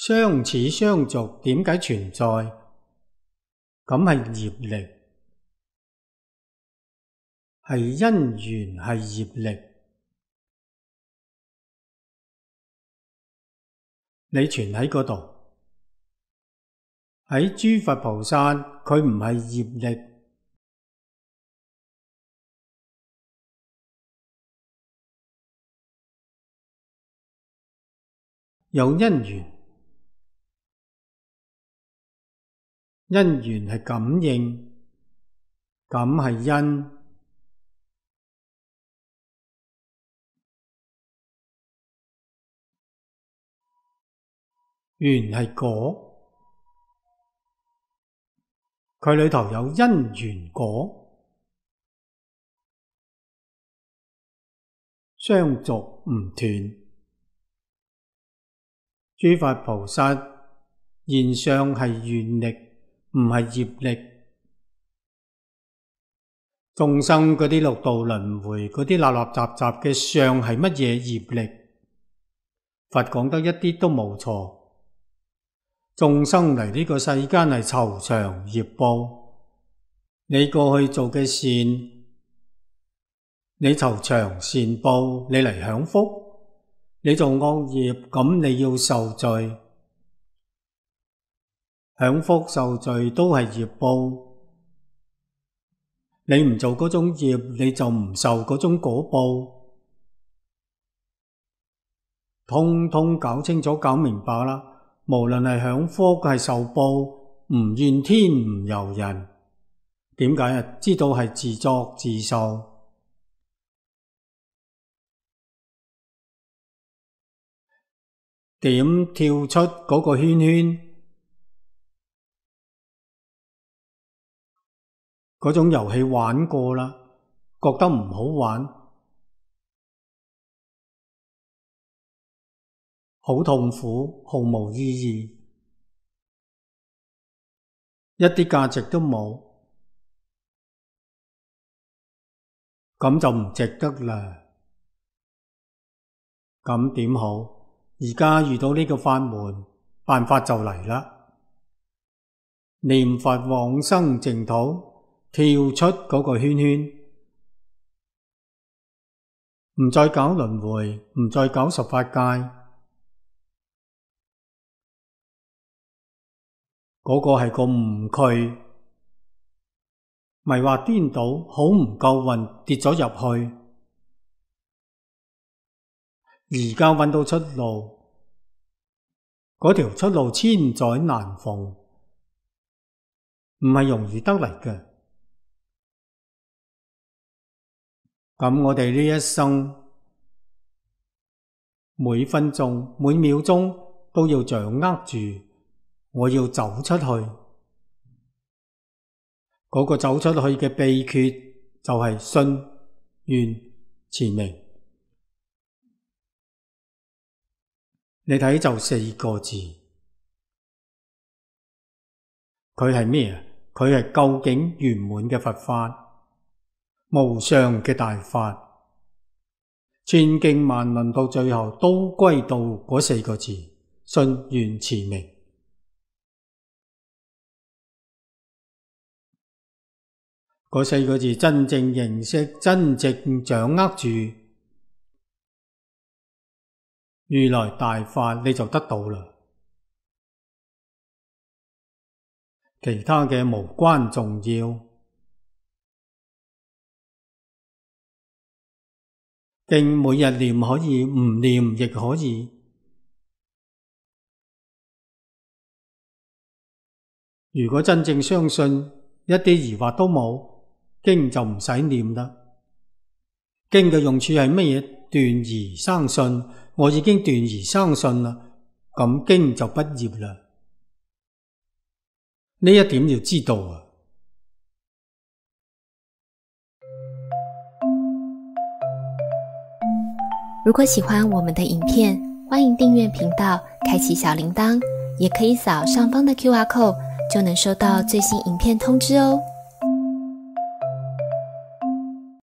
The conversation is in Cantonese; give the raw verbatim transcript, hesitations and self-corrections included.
相似相續點解存在？咁係業力，係因緣，係業力。你存喺嗰度，喺諸佛菩薩，佢唔係業力，有因緣。因緣係感應，感係因，緣係果，佢裏頭有因緣果，相續唔斷。諸佛菩薩現相係願力，唔係業力。眾生嗰啲六道輪迴嗰啲立立雜雜嘅相係乜嘢業力？佛講得一啲都冇錯。眾生嚟呢個世間係酬償業報，你過去做嘅善，你酬償善報，你嚟享福。你做惡業，咁你要受罪。享福受罪都係業報。你唔做嗰種業，你就唔受嗰種果報。通通搞清楚搞明白啦。無論係享福係受報，唔怨天唔尤人。點解啊？知道係自作自受。點跳出嗰個圈圈？嗰種遊戲玩過啦，覺得唔好玩，好痛苦，毫無意義，一啲價值都冇，咁就唔值得啦。咁點好？而家遇到呢個法門，辦法就嚟啦。念佛往生淨土，跳出嗰個圈圈，唔再搞輪迴，唔再搞十法界。嗰個係個誤區，迷惑顛倒，好唔夠運，跌咗入去。而家揾到出路，嗰條出路千載難逢，唔係容易得嚟嘅。咁我哋呢一生，每分鐘每秒鐘都要掌握住，我要走出去。嗰個走出去嘅秘訣就係信願持名。你睇就四個字，佢係咩啊？佢係究竟圓滿嘅佛法，無上嘅大法，千經萬論到最後都歸到嗰四個字：信願持名。嗰四個字真正認識，真正掌握住如來大法，你就得到啦。其他嘅無關重要，經每日念可以，唔念亦可以。如果真正相信，一啲疑惑都冇，經就唔使念啦。經嘅用處係乜嘢？斷疑生信。我已經斷疑生信啦，咁經就畢業啦。呢一點要知道啊。如果喜歡我們的影片，歡迎訂閱頻道，開啟小鈴鐺，也可以掃上方的 Q R code，就能收到最新影片通知哦。